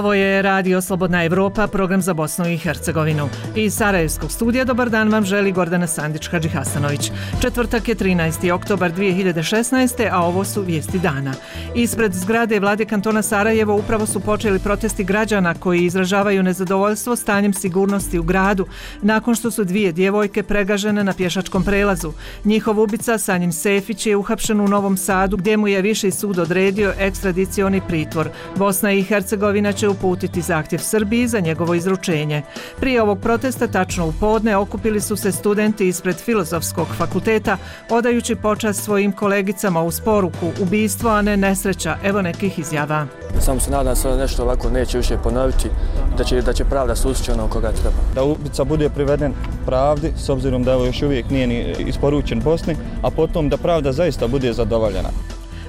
Ovo je Radio Slobodna Evropa, program za Bosnu i Hercegovinu. Iz Sarajevskog studija dobar dan vam želi Gordana Sandić-Hadžihasanović. Četvrtak je 13. oktobar 2016. a ovo su vijesti dana. Ispred zgrade vlade kantona Sarajevo upravo su počeli protesti građana koji izražavaju nezadovoljstvo stanjem sigurnosti u gradu nakon što su dvije djevojke pregažene na pješačkom prelazu. Njihov ubica Sanjin Sefić je uhapšen u Novom Sadu gdje mu je viši sud odredio ekstradicioni pritvor. Bosna i Hercegovina će uputiti zahtjev Srbiji za njegovo izručenje. Prije ovog protesta, tačno u podne, okupili su se studenti ispred Filozofskog fakulteta, odajući počast svojim kolegicama uz poruku ubistvo, a ne nesreća. Evo nekih izjava. Samo se nadam se da nešto ovako neće više ponoviti, da će pravda sustići onog koga treba. Da ubica bude priveden pravdi, s obzirom da još uvijek nije ni isporučen Bosni, a potom da pravda zaista bude zadovoljena.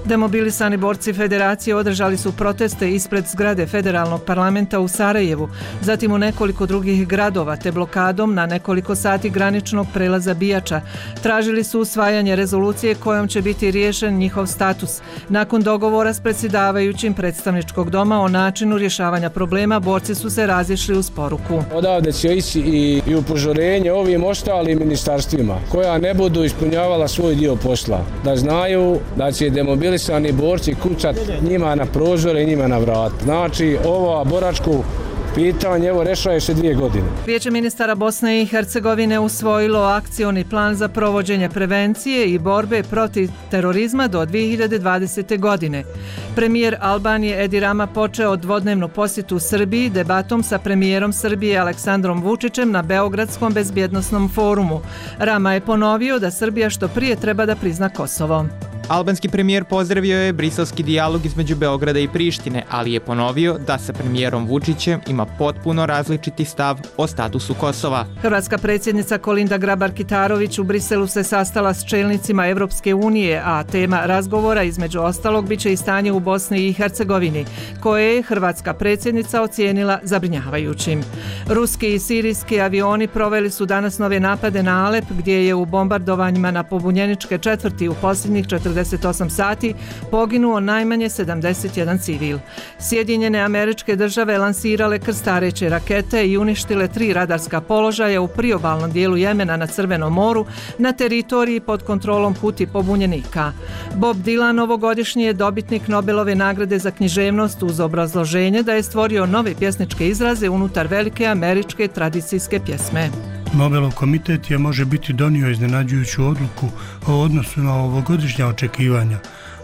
Demobilisani borci Federacije održali su proteste ispred zgrade Federalnog parlamenta u Sarajevu, zatim u nekoliko drugih gradova, te blokadom na nekoliko sati graničnog prelaza Bijača. Tražili su usvajanje rezolucije kojom će biti riješen njihov status. Nakon dogovora s predsjedavajućim predstavničkog doma o načinu rješavanja problema, borci su se razišli uz poruku. Odavde će ići i upozorenje ovim ostalim ministarstvima koja ne budu ispunjavala svoj dio posla. Da znaju da će demobilisani borci kucat njima na prozore i njima na vrat. Znači, ovo boračko pitanje, evo, rešava se 2 godine. Vijeće ministara Bosne i Hercegovine usvojilo akcioni plan za provođenje prevencije i borbe protiv terorizma do 2020. godine. Premijer Albanije Edi Rama počeo dvodnevnu posjetu Srbiji debatom sa premijerom Srbije Aleksandrom Vučićem na Beogradskom bezbjednosnom forumu. Rama je ponovio da Srbija što prije treba da prizna Kosovo. Albanski premijer pozdravio je briselski dijalog između Beograda i Prištine, ali je ponovio da sa premijerom Vučićem ima potpuno različiti stav o statusu Kosova. Hrvatska predsjednica Kolinda Grabar-Kitarović u Briselu se sastala s čelnicima Evropske unije, a tema razgovora između ostalog biće i stanje u Bosni i Hercegovini, koje je hrvatska predsjednica ocijenila zabrinjavajućim. Ruski i sirijski avioni proveli su danas nove napade na Alep, gdje je u bombardovanjima na pobunjeničke četvrti u posljednjih 48 sati poginuo najmanje 71 civil. Sjedinjene Američke Države lansirale krstareće rakete i uništile 3 radarska položaja u priobalnom dijelu Jemena na Crvenom moru na teritoriji pod kontrolom Huti pobunjenika. Bob Dylan ovogodišnji je dobitnik Nobelove nagrade za književnost uz obrazloženje da je stvorio nove pjesničke izraze unutar velike američke tradicijske pjesme. Nobelov komitet je može biti donio iznenađujuću odluku o odnosu na ovogodišnja očekivanja,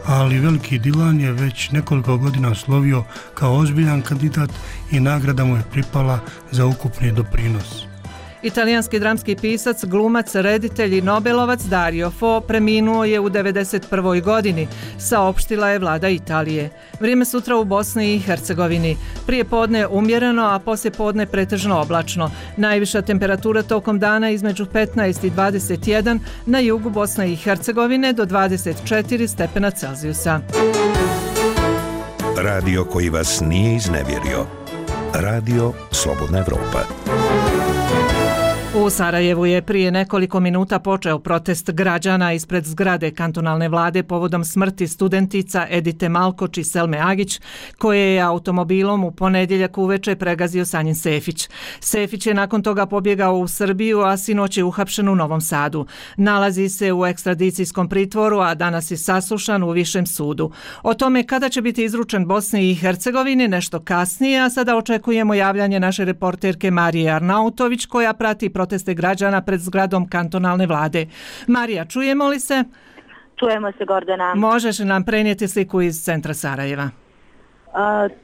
ali veliki Dylan je već nekoliko godina slovio kao ozbiljan kandidat i nagrada mu je pripala za ukupni doprinos. Italijanski dramski pisac, glumac, reditelj i Nobelovac Dario Fo preminuo je u 91. godini, saopštila je vlada Italije. Vrijeme sutra u Bosni i Hercegovini. Prije podne umjereno, a poslije podne pretežno oblačno. Najviša temperatura tokom dana između 15 i 21, na jugu Bosne i Hercegovine do 24 stepena Celzijusa. Radio koji vas nije iznevjerio. Radio Slobodna Evropa. U Sarajevu je prije nekoliko minuta počeo protest građana ispred zgrade kantonalne vlade povodom smrti studentica Edite Malkoč i Selme Agić, koje je automobilom u ponedjeljak uveče pregazio Sanjin Sefić. Sefić je nakon toga pobjegao u Srbiju, a sinoć je uhapšen u Novom Sadu. Nalazi se u ekstradicijskom pritvoru, a danas je saslušan u Višem sudu. O tome kada će biti izručen Bosni i Hercegovini nešto kasnije, a sada očekujemo javljanje naše reporterke Marije Arnautović, koja prati proteste građana pred zgradom kantonalne vlade. Marija, čujemo li se? Čujemo se, Gordana. Možeš nam prenijeti sliku iz centra Sarajeva?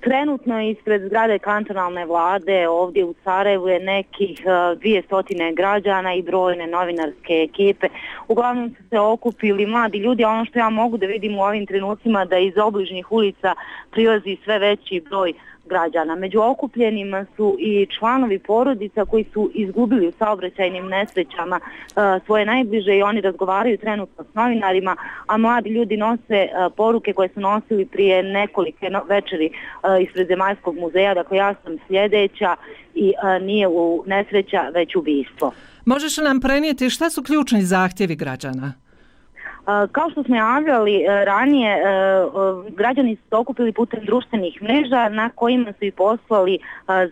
Trenutno ispred zgrade kantonalne vlade ovdje u Sarajevu je nekih 200 građana i brojne novinarske ekipe. Uglavnom su se okupili mladi ljudi, a ono što ja mogu da vidim u ovim trenucima da iz obližnjih ulica prilazi sve veći broj građana. Među okupljenima su i članovi porodica koji su izgubili u saobraćajnim nesrećama svoje najbliže i oni razgovaraju trenutno s novinarima, a mladi ljudi nose poruke koje su nosili prije nekolike večeri ispred Zemaljskog muzeja. Dakle, ja sam sljedeća i nije u nesreća, već ubistvo. Možeš li nam prenijeti šta su ključni zahtjevi građana? Kao što smo javljali ranije, građani su se okupili putem društvenih mreža na kojima su i poslali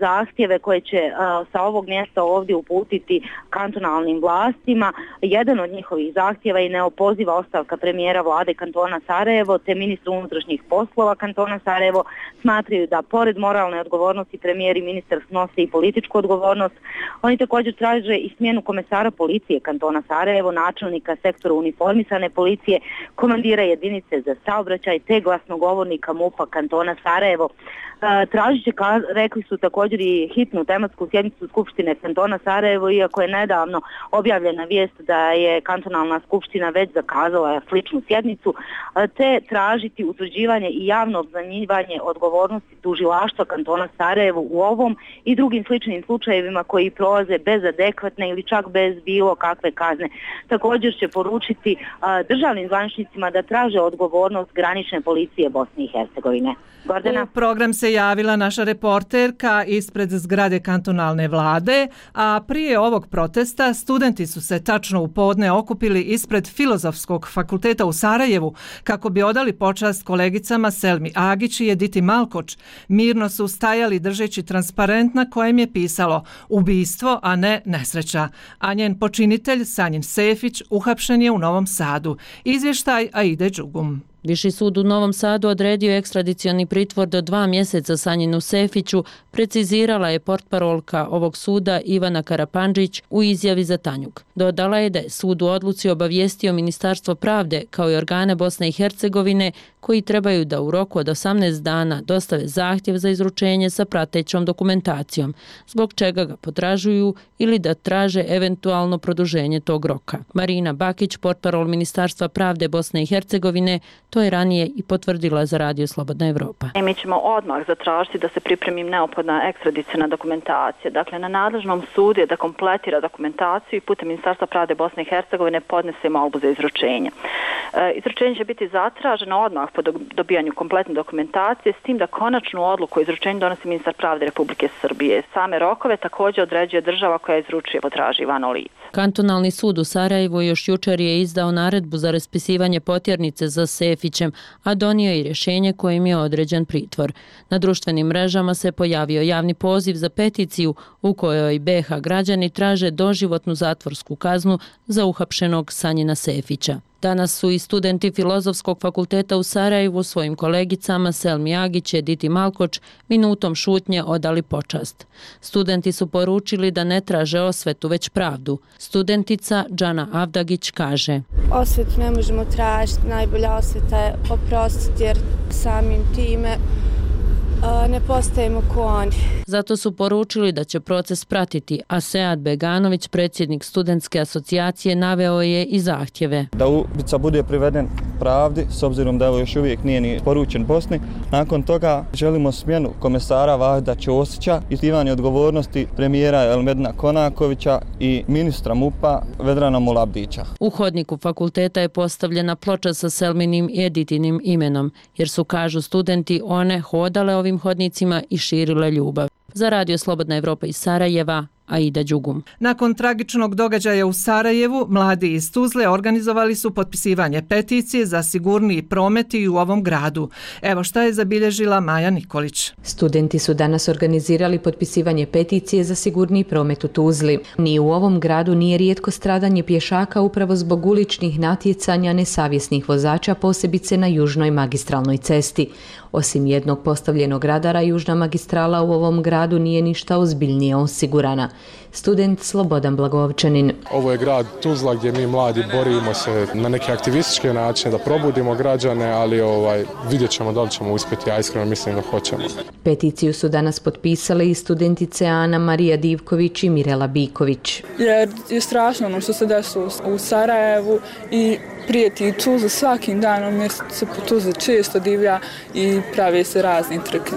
zahtjeve koje će sa ovog mjesta ovdje uputiti kantonalnim vlastima. Jedan od njihovih zahtjeva je neopoziva ostavka premijera vlade kantona Sarajevo te ministra unutrašnjih poslova kantona Sarajevo. Smatraju da pored moralne odgovornosti premijer i ministar snose i političku odgovornost. Oni također traže i smjenu komesara policije kantona Sarajevo, načelnika sektora uniformisane policije, komandira jedinice za saobraćaj te glasnogovornika MUP-a kantona Sarajevo. Tražit će, rekli su također, i hitnu tematsku sjednicu Skupštine kantona Sarajevo, iako je nedavno objavljena vijest da je kantonalna skupština već zakazala sličnu sjednicu, te tražiti utvrđivanje i javno obznanjivanje odgovornosti tužilaštva kantona Sarajevo u ovom i drugim sličnim slučajevima koji prolaze bez adekvatne ili čak bez bilo kakve kazne. Također će poručiti državnim zvaničnicima da traže odgovornost granične policije Bosne i Hercegovine. Gordana? U program se javila naša reporterka ispred zgrade kantonalne vlade, a prije ovog protesta studenti su se tačno u podne okupili ispred Filozofskog fakulteta u Sarajevu kako bi odali počast kolegicama Selmi Agić i Editi Malkoč. Mirno su stajali držeći transparent na kojem je pisalo ubistvo, a ne nesreća. A njen počinitelj Sanjin Sefić uhapšen je u Novom Sadu. Izvještaj Aide Đugum. Viši sud u Novom Sadu odredio je ekstradicioni pritvor do 2 mjeseca Sanjinu Sefiću, precizirala je portparolka ovog suda Ivana Karapandžić u izjavi za Tanjug. Dodala je da je sud u odluci obavijestio Ministarstvo pravde kao i organe Bosne i Hercegovine koji trebaju da u roku od 18 dana dostave zahtjev za izručenje sa pratećom dokumentacijom, zbog čega ga potražuju ili da traže eventualno produženje tog roka. Marina Bakić, portparol Ministarstva pravde Bosne i Hercegovine, to je ranije i potvrdila za Radio Slobodna Evropa. Mi ćemo odmah zatražiti da se pripremi neophodna ekstradicijna dokumentacija. Dakle, na nadležnom sudu je da kompletira dokumentaciju i putem Ministarstva pravde Bosne i Hercegovine podnese molbu za izručenje. Izručenje će biti zatraženo odmah po dobijanju kompletne dokumentacije, s tim da konačnu odluku o izručenju donosi ministar pravde Republike Srbije. Same rokove također određuje država koja izručuje potraživano lice. Kantonalni sud u Sarajevu još jučer je izdao naredbu za raspisivanje potjernice za Sefićem, a donio je i rješenje kojim je određen pritvor. Na društvenim mrežama se pojavio javni poziv za peticiju u kojoj BiH građani traže doživotnu zatvorsku kaznu za uhapšenog Sanjina Sefića. Danas su i studenti Filozofskog fakulteta u Sarajevu svojim kolegicama Selmi Agić i Editi Malkoč minutom šutnje odali počast. Studenti su poručili da ne traže osvetu, već pravdu. Studentica Džana Avdagić kaže: Osvetu ne možemo tražiti, najbolja osveta je oprostiti jer samim time ne postajemo ko oni. Zato su poručili da će proces pratiti, a Sead Beganović, predsjednik studentske asocijacije, naveo je i zahtjeve. Da ubica bude priveden pravdi, s obzirom da još uvijek nije ni poručen Bosni. Nakon toga želimo smjenu komesara Vahda Ćosića, ispitivanje odgovornosti premijera Elmedina Konakovića i ministra MUP-a Vedrana Mulabdića. U hodniku fakulteta je postavljena ploča sa Selminim i Editinim imenom, jer su, kažu studenti, one hodale ovim hodnicima i širile ljubav. Za Radio Slobodna Evropa iz Sarajeva, Aida Đugum. Nakon tragičnog događaja u Sarajevu, mladi iz Tuzle organizovali su potpisivanje peticije za sigurniji promet i u ovom gradu. Evo šta je zabilježila Maja Nikolić. Studenti su danas organizirali potpisivanje peticije za sigurniji promet u Tuzli. Ni u ovom gradu nije rijetko stradanje pješaka upravo zbog uličnih natjecanja nesavjesnih vozača, posebice na južnoj magistralnoj cesti. Osim jednog postavljenog radara, južna magistrala u ovom gradu nije ništa ozbiljnije osigurana. Student Slobodan Blagovčanin. Ovo je grad Tuzla gdje mi mladi borimo se na neke aktivističke načine da probudimo građane, ali vidjet ćemo da li ćemo uspjeti, ja iskreno mislim da hoćemo. Peticiju su danas potpisale i studentice Ana Marija Divković i Mirela Biković. Jer je strašno ono što se desilo u Sarajevu i prijeti Tuzla svakim danom jer se po Tuzli često divlja i prave se razne trke.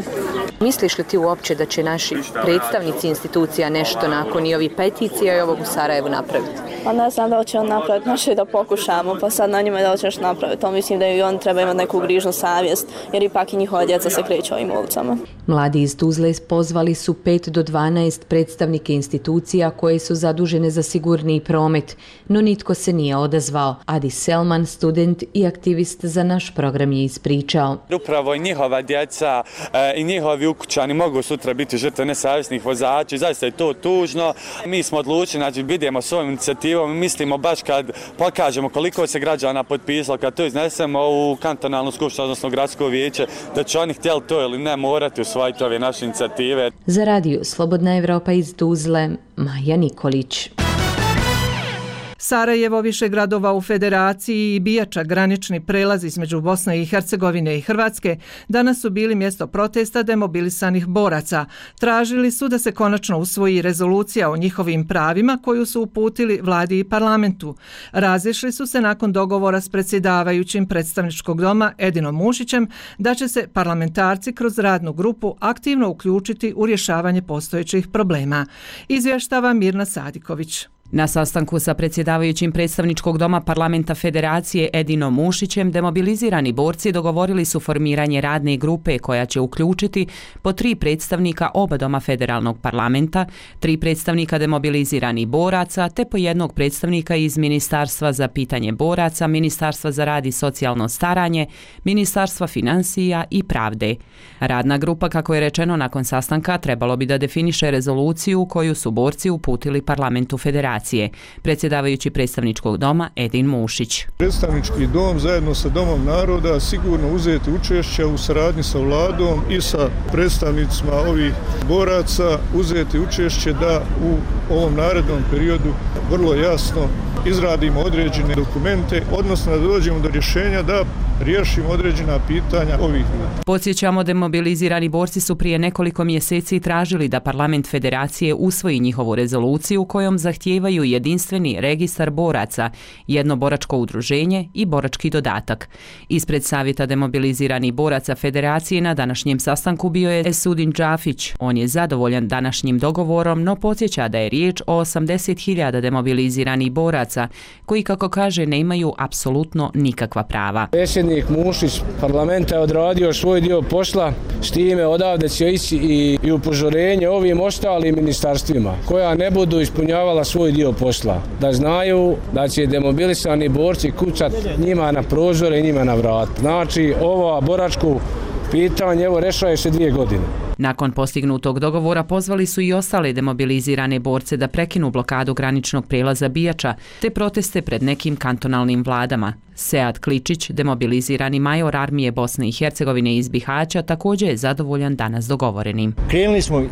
Misliš li ti uopće da će naši predstavnici institucija nešto nakon i ovih peticija i ovog u Sarajevu napraviti? Pa ne znam da li će on napraviti, znači da pokušamo, pa sad na njima da li će još napraviti. To mislim da i on treba imati neku grižnu savjest, jer ipak i njihova djeca se kreću ovim ulicama. Mladi iz Tuzle pozvali su 5 do 12 predstavnike institucija koje su zadužene za sigurniji promet, no nitko se nije odazvao. Adi Selman, student i aktivist za naš program, je ispričao. Upravo i njihova djeca i njihovi ukućani mogu sutra biti žrtve nesavjesnih vozača. Zaista je to tužno. Mi smo odlučili, znači idemo s ovom inicijativom i mislimo baš kad pokažemo koliko se građana potpisalo, kad to iznesemo u kantonalnu skupštinu, odnosno gradsko vijeće, da će oni htjeli to ili ne morati usvojiti ove naše inicijative. Za radio Slobodna Evropa iz Tuzle, Maja Nikolić. Sarajevo, više gradova u Federaciji i Bijača, granični prelaz između Bosne i Hercegovine i Hrvatske, danas su bili mjesto protesta demobilisanih boraca. Tražili su da se konačno usvoji rezolucija o njihovim pravima koju su uputili vladi i parlamentu. Razišli su se nakon dogovora s predsjedavajućim predstavničkog doma Edinom Mušićem da će se parlamentarci kroz radnu grupu aktivno uključiti u rješavanje postojećih problema. Izvještava Mirna Sadiković. Na sastanku sa predsjedavajućim predstavničkog doma parlamenta Federacije Edinom Mušićem demobilizirani borci dogovorili su formiranje radne grupe koja će uključiti po 3 predstavnika oba doma federalnog parlamenta, 3 predstavnika demobiliziranih boraca te po 1 predstavnika iz Ministarstva za pitanje boraca, Ministarstva za rad i socijalno staranje, Ministarstva financija i pravde. Radna grupa, kako je rečeno nakon sastanka, trebalo bi da definiše rezoluciju koju su borci uputili parlamentu Federacije. Predsjedavajući predstavničkog doma Edin Mušić. Predstavnički dom zajedno sa Domom naroda sigurno uzeti učešće u saradnji sa vladom i sa predstavnicima ovih boraca, uzeti učešće da u ovom narednom periodu vrlo jasno izradimo određene dokumente, odnosno da dođemo do rješenja da riješimo određena pitanja ovih ljudi. Podsjećamo, demobilizirani borci su prije nekoliko mjeseci tražili da parlament Federacije usvoji njihovu rezoluciju kojom zahtijevaju jedinstveni registar boraca, jedno boračko udruženje i borački dodatak. Ispred Savjeta demobiliziranih boraca Federacije na današnjem sastanku bio je Esudin Džafić. On je zadovoljan današnjim dogovorom, no podsjeća da je riječ o 80.000 demobiliziranih boraca koji, kako kaže, nemaju apsolutno nikakva prava. Predsjednik Mušić parlamenta je odradio svoj dio posla, s time odavde će ići i upozorenje ovim ostalim ministarstvima koja ne budu ispunjavala svoj dio posla. Da znaju da će demobilisani borci kucat njima na prozore i njima na vrat. Znači, ovo boračko pitanje evo rešava se 2 godine. Nakon postignutog dogovora pozvali su i ostale demobilizirane borce da prekinu blokadu graničnog prijelaza Bijača te proteste pred nekim kantonalnim vladama. Sead Kličić, demobilizirani major armije Bosne i Hercegovine iz Bihaća, također je zadovoljan danas dogovorenim. Krenuli smo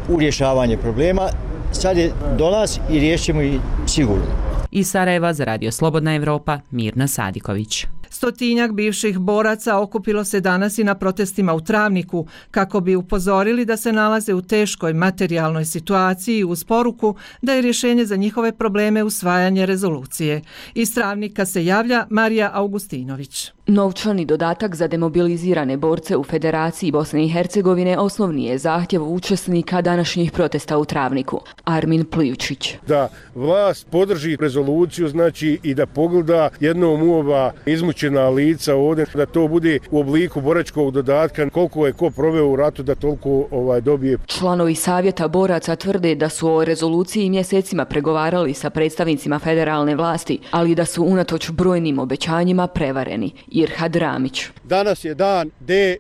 u rješavanje problema, sad je do nas i riješimo ih sigurno. Iz Sarajeva za radio Slobodna Evropa, Mirna Sadiković. Stotinjak bivših boraca okupilo se danas i na protestima u Travniku kako bi upozorili da se nalaze u teškoj materijalnoj situaciji uz poruku da je rješenje za njihove probleme usvajanje rezolucije. Iz Travnika se javlja Marija Augustinović. Novčani dodatak za demobilizirane borce u Federaciji Bosne i Hercegovine osnovni je zahtjev učesnika današnjih protesta u Travniku. Armin Plijučić. Da vlast podrži rezoluciju, znači i da pogleda jednom u ova izmučena lica ovdje, da to bude u obliku boračkog dodatka, koliko je ko proveo u ratu da toliko dobije. Članovi Savjeta boraca tvrde da su o rezoluciji mjesecima pregovarali sa predstavnicima federalne vlasti, ali da su unatoč brojnim obećanjima prevareni. Irhad Ramić. Danas je dan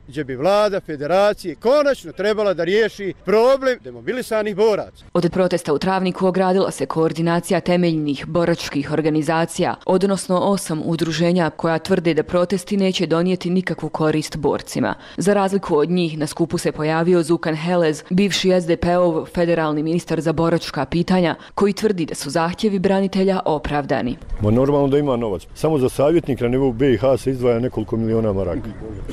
gdje bi vlada Federacije konačno trebala da riješi problem demobilisanih boraca. Od protesta u Travniku ogradila se koordinacija temeljnih boračkih organizacija, odnosno 8 udruženja koja tvrde da protesti neće donijeti nikakvu korist borcima. Za razliku od njih na skupu se pojavio Zukan Helez, bivši SDP-ov federalni ministar za boračka pitanja, koji tvrdi da su zahtjevi branitelja opravdani. Normalno da ima novac. Samo za savjetnika na nivou BiH se izdvaja nekoliko miliona maraka.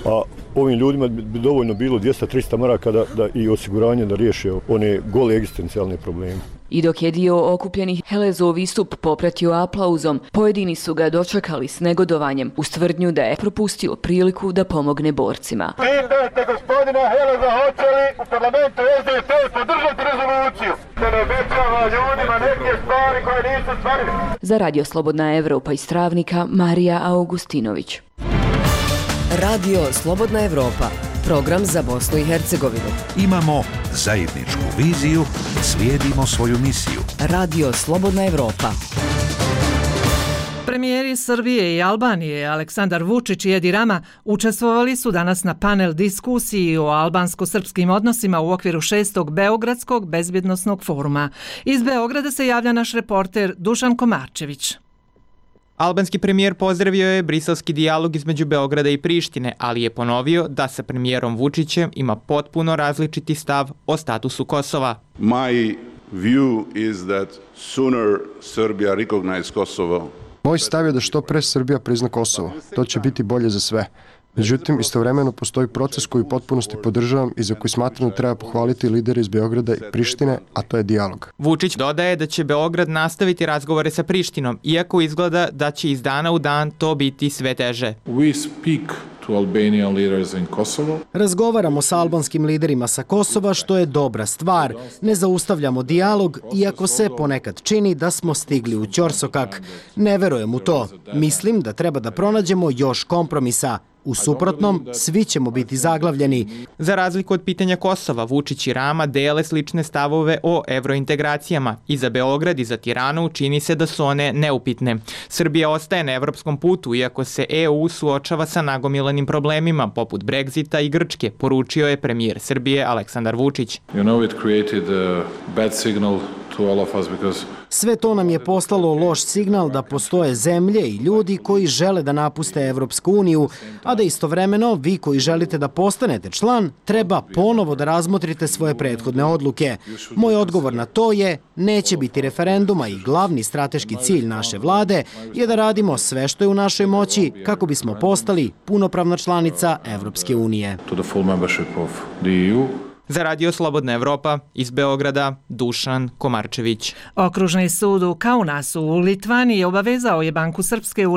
A ovim ljudima bi dovoljno bilo 200-300 maraka da i osiguranje da riješe one gole egzistencijalne probleme. I dok je dio okupljenih Helezov istup popratio aplauzom, pojedini su ga dočekali s negodovanjem uz tvrdnju da je propustio priliku da pomogne borcima. Pitajte gospodina Heleza hoće li u parlamentu SDP podržati rezoluciju. Da ne obećava ljudima neke stvari koje nisu stvarili. Za Radio Slobodna Evropa iz Travnika, Marija Augustinović. Radio Slobodna Evropa, program za Bosnu i Hercegovinu. Imamo zajedničku viziju, slijedimo svoju misiju. Radio Slobodna Evropa. Premijeri Srbije i Albanije Aleksandar Vučić i Edi Rama učestvovali su danas na panel diskusiji o albansko-srpskim odnosima u okviru 6. Beogradskog bezbjednosnog foruma. Iz Beograda se javlja naš reporter Dušan Komarčević. Albanski premijer pozdravio je briselski dijalog između Beograda i Prištine, ali je ponovio da sa premijerom Vučićem ima potpuno različiti stav o statusu Kosova. My view is that sooner Serbia recognize Kosovo. Moj stav je da što pre Srbija prizna Kosovo. To će biti bolje za sve. Međutim, istovremeno postoji proces koji u potpunosti podržavam i za koji smatram da treba pohvaliti lidere iz Beograda i Prištine, a to je dijalog. Vučić dodaje da će Beograd nastaviti razgovore sa Prištinom, iako izgleda da će iz dana u dan to biti sve teže. We speak to Albanian leaders in Kosovo. Razgovaramo sa albanskim liderima sa Kosova, što je dobra stvar. Ne zaustavljamo dijalog, iako se ponekad čini da smo stigli u ćorsokak. Ne verujem u to. Mislim da treba da pronađemo još kompromisa. U suprotnom, svi ćemo biti zaglavljeni. Za razliku od pitanja Kosova, Vučić i Rama dele slične stavove o evrointegracijama. I za Beograd i za Tiranu čini se da su one neupitne. Srbija ostaje na evropskom putu, iako se EU suočava sa nagomilanim problemima, poput Brexita i Grčke, poručio je premijer Srbije Aleksandar Vučić. You know, it created a bad signal to all of us because sve to nam je poslalo loš signal da postoje zemlje i ljudi koji žele da napuste Evropsku uniju, a da istovremeno vi koji želite da postanete član treba ponovo da razmotrite svoje prethodne odluke. Moj odgovor na to je neće biti referenduma i glavni strateški cilj naše vlade je da radimo sve što je u našoj moći kako bismo postali punopravna članica Evropske unije. Za Radio Slobodna Evropa iz Beograda, Dušan Komarčević. Okružni sud u Kaunasu u Litvaniji obavezao je Banku Srpske u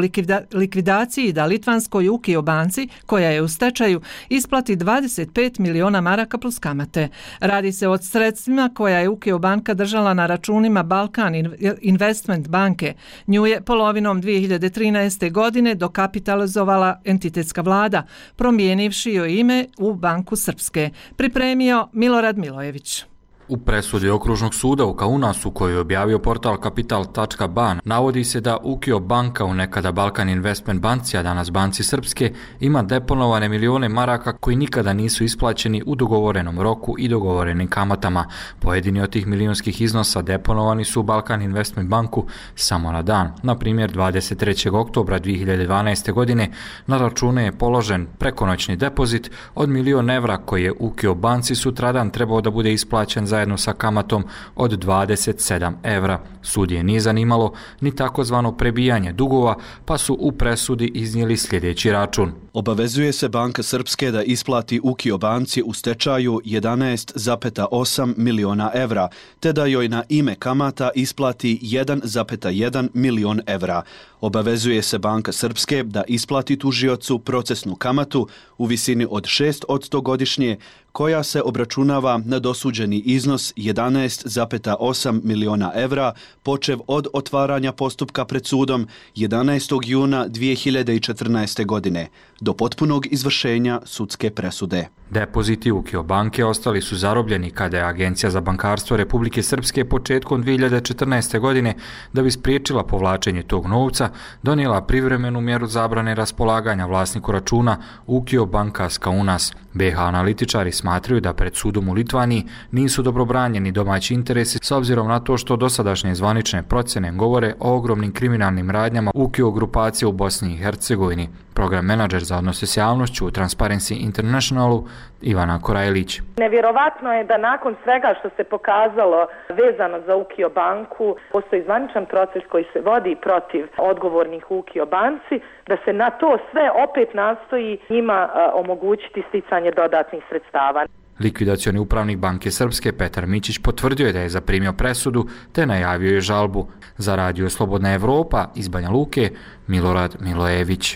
likvidaciji da litvanskoj Ukio banci, koja je u stečaju, isplati 25 miliona maraka plus kamate. Radi se o sredstvima koja je Ukio banka držala na računima Balkan Investment banke. Nju je polovinom 2013. godine dokapitalizovala entitetska vlada, promijenivši joj ime u Banku Srpske. Pripremio Milorad Milojević. U presudi Okružnog suda u Kaunasu, koju je objavio portal Kapital.ban, navodi se da Ukio banka, u nekada Balkan Investment banci, a danas Banci Srpske, ima deponovane milione maraka koji nikada nisu isplaćeni u dogovorenom roku i dogovorenim kamatama. Pojedini od tih milionskih iznosa deponovani su u Balkan Investment banku samo na dan. Na primjer, 23. oktobra 2012. godine na račune je položen prekonoćni depozit od 1.000.000 evra koji je Ukio banci sutradan trebao da bude isplaćen zajedno sa kamatom od 27 evra. Sud je nije zanimalo ni takozvano prebijanje dugova, pa su u presudi iznijeli sljedeći račun. Obavezuje se Banka Srpske da isplati Ukio banci u stečaju 11,8 miliona evra, te da joj na ime kamata isplati 1,1 milion evra. Obavezuje se Banka Srpske da isplati tužiocu procesnu kamatu u visini od 6% godišnje, koja se obračunava na dosuđeni iznos 11,8 miliona evra, počev od otvaranja postupka pred sudom 11. juna 2014. godine, do potpunog izvršenja sudske presude. Depoziti Ukio banke ostali su zarobljeni kada je Agencija za bankarstvo Republike Srpske početkom 2014. godine, da bi spriječila povlačenje tog novca, donijela privremenu mjeru zabrane raspolaganja vlasniku računa Ukio banka Kaunas. BH analitičari smatraju da pred sudom u Litvaniji nisu dobro branjeni domaći interesi s obzirom na to što dosadašnje zvanične procjene govore o ogromnim kriminalnim radnjama Ukio grupacije u Bosni i Hercegovini. Program menadžer za odnose s javnošću u Transparency Internationalu Ivana Korajlić. Nevjerovatno je da nakon svega što se pokazalo vezano za Ukio banku, postoji zvaničan proces koji se vodi protiv odgovornih u Ukio banci, da se na to sve opet nastoji njima omogućiti sticanje dodatnih sredstava. Likvidacioni upravnik Banke Srpske Petar Mićić potvrdio je da je zaprimio presudu te najavio je žalbu. Za Radio Slobodna Evropa iz Banja Luke, Milorad Milojević.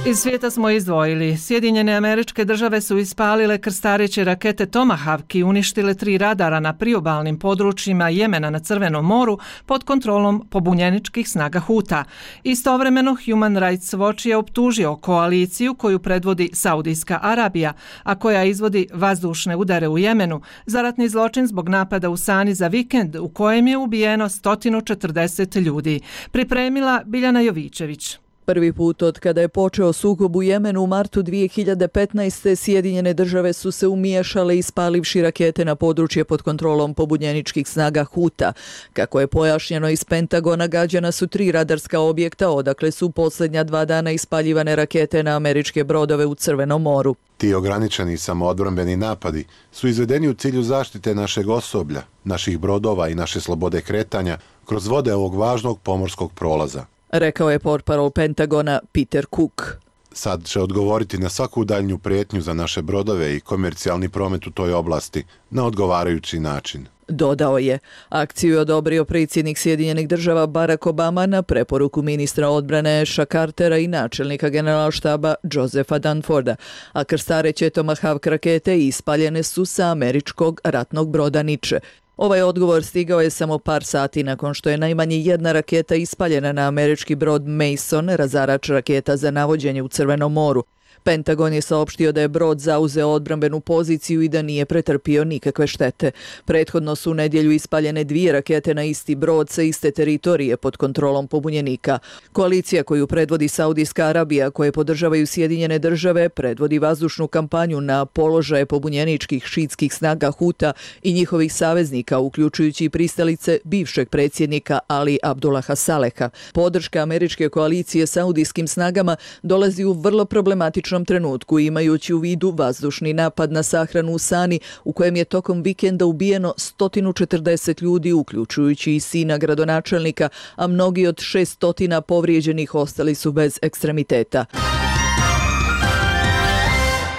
Iz svijeta smo izdvojili. Sjedinjene Američke Države su ispalile krstareće rakete Tomahawk i uništile 3 radara na priobalnim područjima Jemena na Crvenom moru pod kontrolom pobunjeničkih snaga Huta. Istovremeno Human Rights Watch je optužio koaliciju koju predvodi Saudijska Arabija, a koja izvodi vazdušne udare u Jemenu, za ratni zločin zbog napada u Sani za vikend u kojem je ubijeno 140 ljudi. Pripremila Biljana Jovićević. Prvi put od kada je počeo sukob u Jemenu u martu 2015. Sjedinjene Države su se umiješale ispalivši rakete na područje pod kontrolom pobunjeničkih snaga Huta. Kako je pojašnjeno iz Pentagona, gađana su 3 radarska objekta, odakle su posljednja 2 dana ispaljivane rakete na američke brodove u Crvenom moru. Ti ograničeni samoodbrambeni napadi su izvedeni u cilju zaštite našeg osoblja, naših brodova i naše slobode kretanja kroz vode ovog važnog pomorskog prolaza, rekao je portparol Pentagona Peter Cook. Sad će odgovoriti na svaku daljnju prijetnju za naše brodove i komercijalni promet u toj oblasti na odgovarajući način. Dodao je, akciju je odobrio predsjednik Sjedinjenih Država Barack Obama na preporuku ministra odbrane Asha Cartera i načelnika generalštaba Josepha Dunforda, a krstareće Tomahawk rakete ispaljene su sa američkog ratnog broda Niče. Ovaj odgovor stigao je samo par sati nakon što je najmanje 1 raketa ispaljena na američki brod Mason, razarač raketa za navođenje u Crvenom moru. Pentagon je saopštio da je brod zauzeo odbrambenu poziciju i da nije pretrpio nikakve štete. Prethodno su u nedjelju ispaljene 2 rakete na isti brod sa iste teritorije pod kontrolom pobunjenika. Koalicija koju predvodi Saudijska Arabija, koje podržavaju Sjedinjene Države, predvodi vazdušnu kampanju na položaje pobunjeničkih šiitskih snaga Huta i njihovih saveznika, uključujući i pristalice bivšeg predsjednika Ali Abdullaha Saleha. Podrška američke koalicije saudijskim snagama dolazi u vrlo problematičnom trenutku, imajući u vidu vazdušni napad na sahranu u Sani, u kojem je tokom vikenda ubijeno 140 ljudi, uključujući i sina gradonačelnika, a mnogi od 600 povrijeđenih ostali su bez ekstremiteta.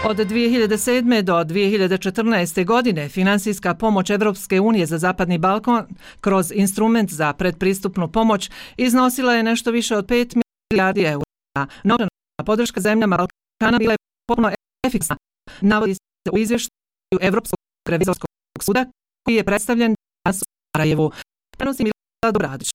Od 2007. do 2014. godine finansijska pomoć Evropske unije za Zapadni Balkan kroz instrument za predpristupnu pomoć iznosila je nešto više od 5 milijardi eura. Novčana podrška zemljama Balkana bila je potpuno efikasna, navodi se u izvještaju Evropskog revizorskog suda koji je predstavljen danas u Sarajevu. Prenosi Milada Dobradić.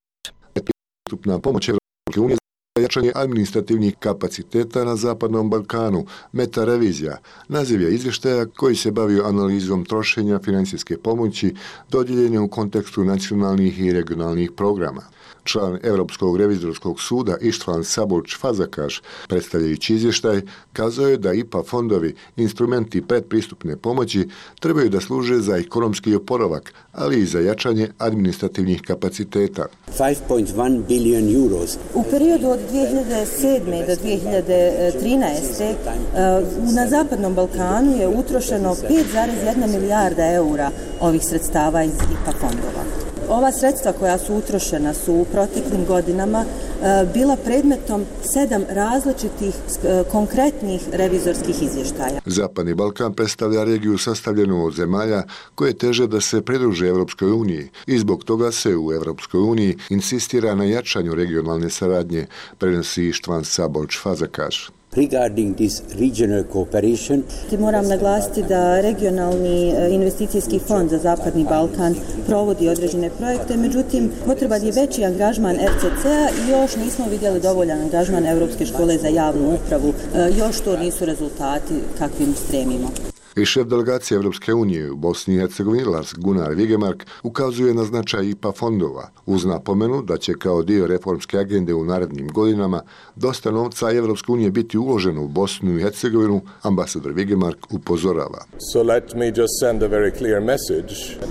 Predpristupna pomoć Evropske unije za jačanje administrativnih kapaciteta na Zapadnom Balkanu, meta-revizija, naziv je izvještaja koji se bavio analizom trošenja financijske pomoći dodijeljene u kontekstu nacionalnih i regionalnih programa. Član Europskog revizorskog suda Ištvan Sabolč Fazakaš, predstavljajući izvještaj, kazao je da IPA fondovi, instrumenti predpristupne pomoći, trebaju da služe za ekonomski oporavak, ali i za jačanje administrativnih kapaciteta. 5.1 billion euros. U periodu od 2007. do 2013. na Zapadnom Balkanu je utrošeno 5,1 milijarda eura ovih sredstava iz IPA fondova. Ova sredstva koja su utrošena su u proteklim godinama bila predmetom 7 različitih konkretnih revizorskih izvještaja. Zapadni Balkan predstavlja regiju sastavljenu od zemalja koje teže da se pridruže Evropskoj uniji i zbog toga se u Evropskoj uniji insistira na jačanju regionalne saradnje, prenosi Ištvan Sabolč Fazakaš. Regarding this regional cooperation, moram naglasiti da regionalni investicijski fond za Zapadni Balkan provodi određene projekte, međutim potreban je veći angažman RCC-a i još nismo vidjeli dovoljan angažman Europske škole za javnu upravu. Još to nisu rezultati kakvim stremimo. I šef delegacije Evropske unije u Bosni i Hercegovini Lars Gunnar Vigemark ukazuje na značaj IPA fondova, uz napomenu da će kao dio reformske agende u narednim godinama dosta novca Evropske unije biti uloženo u Bosnu i Hercegovinu, ambasador Vigemark upozorava.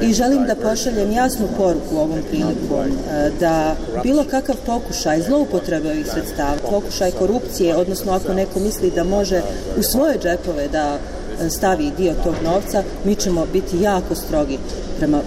I želim da pošaljem jasnu poruku ovom prilikom, da bilo kakav pokušaj zloupotrebe ovih sredstava, pokušaj korupcije, odnosno ako neko misli da može u svoje džepove da stavi dio tog novca, mi ćemo biti jako strogi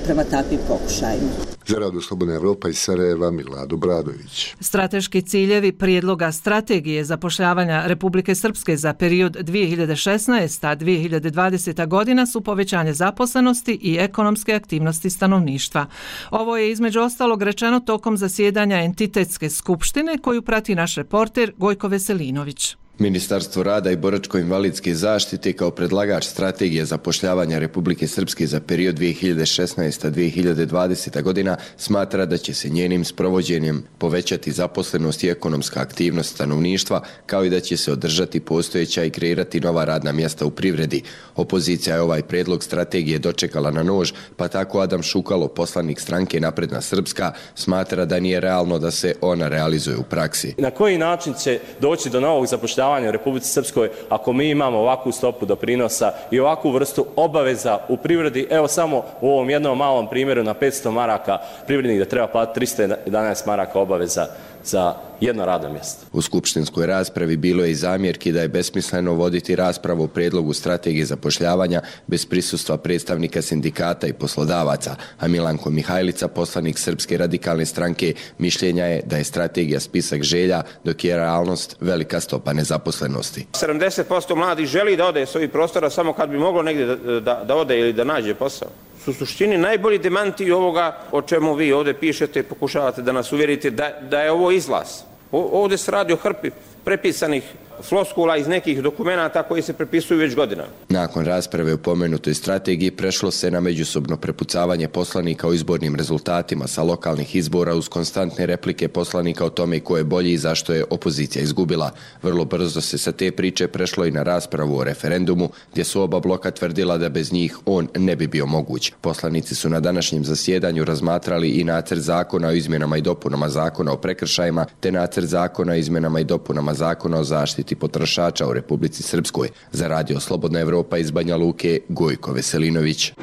prema takvim pokušajima. Za Radio Slobodna Evropa iz Sarajeva, Milado Bradović. Strateški ciljevi prijedloga strategije zapošljavanja Republike Srpske za period 2016-2020 godina su povećanje zaposlenosti i ekonomske aktivnosti stanovništva. Ovo je između ostalog rečeno tokom zasjedanja entitetske skupštine koju prati naš reporter Gojko Veselinović. Ministarstvo rada i boračko-invalidske zaštite kao predlagač strategije zapošljavanja Republike Srpske za period 2016-2020 godina smatra da će se njenim sprovođenjem povećati zaposlenost i ekonomska aktivnost stanovništva, kao i da će se održati postojeća i kreirati nova radna mjesta u privredi. Opozicija je ovaj predlog strategije dočekala na nož, pa tako Adam Šukalo, poslanik stranke Napredna Srpska, smatra da nije realno da se ona realizuje u praksi. Na koji način će doći do novog zapošljavanja u Republici Srpskoj ako mi imamo ovakvu stopu doprinosa i ovakvu vrstu obaveza u privredi? Evo samo u ovom jednom malom primjeru na 500 maraka privrednik da treba platiti 311 maraka obaveza za jedno radno mjesto. U skupštinskoj raspravi bilo je i zamjerki da je besmisleno voditi raspravu o predlogu strategije zapošljavanja bez prisustva predstavnika sindikata i poslodavaca, a Milanko Mihajlica, poslanik Srpske radikalne stranke, mišljenja je da je strategija spisak želja, dok je realnost velika stopa nezaposlenosti. 70% mladih želi da ode s ovih prostora samo kad bi moglo negdje da ode ili da nađe posao. U suštini najbolji demanti ovoga o čemu vi ovdje pišete, pokušavate da nas uvjerite da je ovo izlaz. Ovdje se radi o hrpi prepisanih floskula iz nekih dokumenata koji se prepisuju već godinama. Nakon rasprave o pomenutoj strategiji prešlo se na međusobno prepucavanje poslanika o izbornim rezultatima sa lokalnih izbora uz konstantne replike poslanika o tome ko je bolji i zašto je opozicija izgubila. Vrlo brzo se sa te priče prešlo i na raspravu o referendumu, gdje su oba bloka tvrdila da bez njih on ne bi bio moguć. Poslanici su na današnjem zasjedanju razmatrali i nacrt zakona o izmjenama i dopunama zakona o prekršajima, te nacrt zakona o izmjenama i dopunama zakona o zaštiti potrošača u Republici Srpskoj. Za Radio Slobodna Evropa iz Banja Luke, Gojko Veselinović.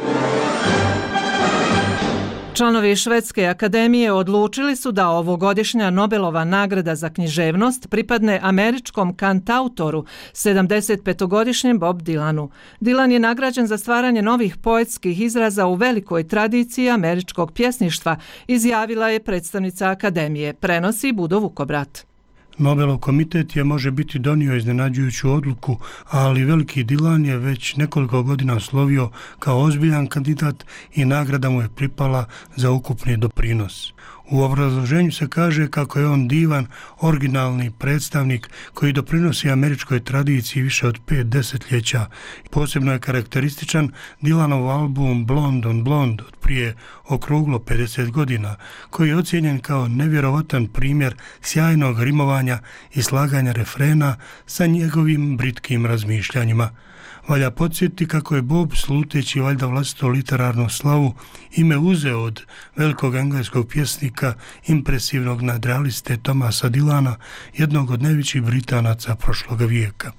Članovi Švedske akademije odlučili su da ovogodišnja Nobelova nagrada za književnost pripadne američkom kantautoru, 75-godišnjem Bob Dylanu. Dylan je nagrađen za stvaranje novih poetskih izraza u velikoj tradiciji američkog pjesništva, izjavila je predstavnica akademije, prenosi Budo Vukobrat. Nobelov komitet je može biti donio iznenađujuću odluku, ali veliki Dylan je već nekoliko godina slovio kao ozbiljan kandidat i nagrada mu je pripala za ukupni doprinos. U obrazloženju se kaže kako je on divan, originalni predstavnik koji doprinosi američkoj tradiciji više od 5 desetljeća. Posebno je karakterističan Dylanov album Blonde on Blonde od prije okruglo 50 godina, koji je ocijenjen kao nevjerovatan primjer sjajnog rimovanja i slaganja refrena sa njegovim britkim razmišljanjima. Valja podsjetiti kako je Bob, sluteći valjda vlastitu literarnu slavu, ime uzeo od velikog engleskog pjesnika, impresivnog nadrealiste Thomasa Dylana, jednog od najvećih Britanaca prošloga vijeka.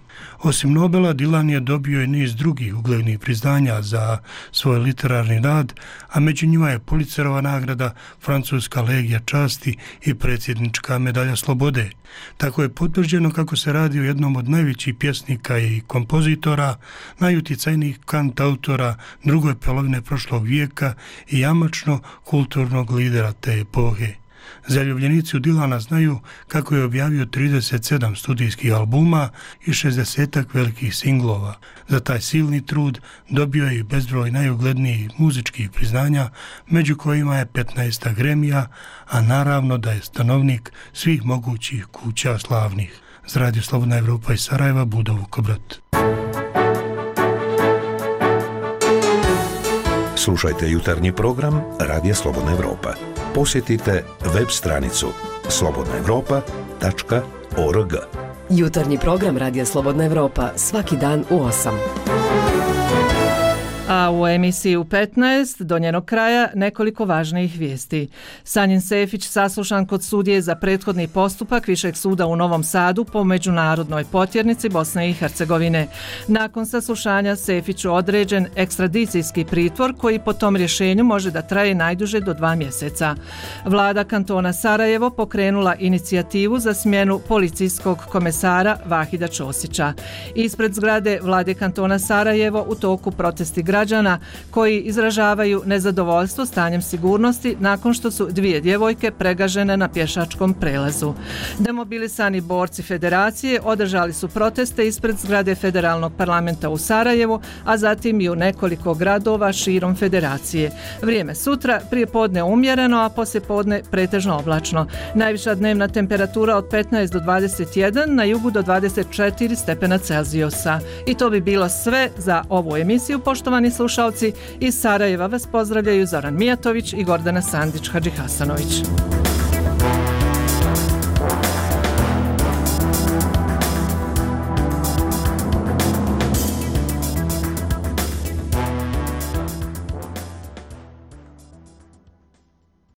Osim Nobela, Dylan je dobio i niz drugih uglednih priznanja za svoj literarni rad, a među njima je Pulitzerova nagrada, Francuska legija časti i predsjednička medalja slobode. Tako je potvrđeno kako se radi o jednom od najvećih pjesnika i kompozitora, najuticajnijih kantautora drugoj polovine prošlog vijeka i jamačno kulturnog lidera te epohe. Zaljubljenici u Dylana znaju kako je objavio 37 studijskih albuma i 60 velikih singlova. Za taj silni trud dobio je i bezbroj najuglednijih muzičkih priznanja, među kojima je 15 Gramija, a naravno da je stanovnik svih mogućih kuća slavnih. Za Radio Slobodna Evropa iz Sarajeva, Budo Vukobrat. Slušajte jutarnji program Radija Slobodna Evropa. Posjetite web stranicu slobodnaevropa.org. Jutarnji program Radija Slobodna Evropa svaki dan u 8. A u emisiji u 15 do njenog kraja nekoliko važnijih vijesti. Sanjin Sefić saslušan kod sudije za prethodni postupak Višeg suda u Novom Sadu po međunarodnoj potjernici Bosne i Hercegovine. Nakon saslušanja Sefiću određen ekstradicijski pritvor koji po tom rješenju može da traje najduže do 2 mjeseca. Vlada kantona Sarajevo pokrenula inicijativu za smjenu policijskog komesara Vahida Ćosića. Ispred zgrade vlade kantona Sarajevo u toku protesti građana građana koji izražavaju nezadovoljstvo stanjem sigurnosti nakon što su 2 djevojke pregažene na pješačkom prelazu. Demobilisani borci federacije održali su proteste ispred zgrade Federalnog parlamenta u Sarajevu, a zatim i u nekoliko gradova širom federacije. Vrijeme sutra, prije podne umjereno, a poslije podne pretežno oblačno. Najviša dnevna temperatura od 15 do 21, na jugu do 24 stepena Celzijusa. I to bi bilo sve za ovu emisiju, poštovani slušalci. Iz Sarajeva vas pozdravljaju Zoran Mijatović i Gordana Sandić-Hadžihasanović.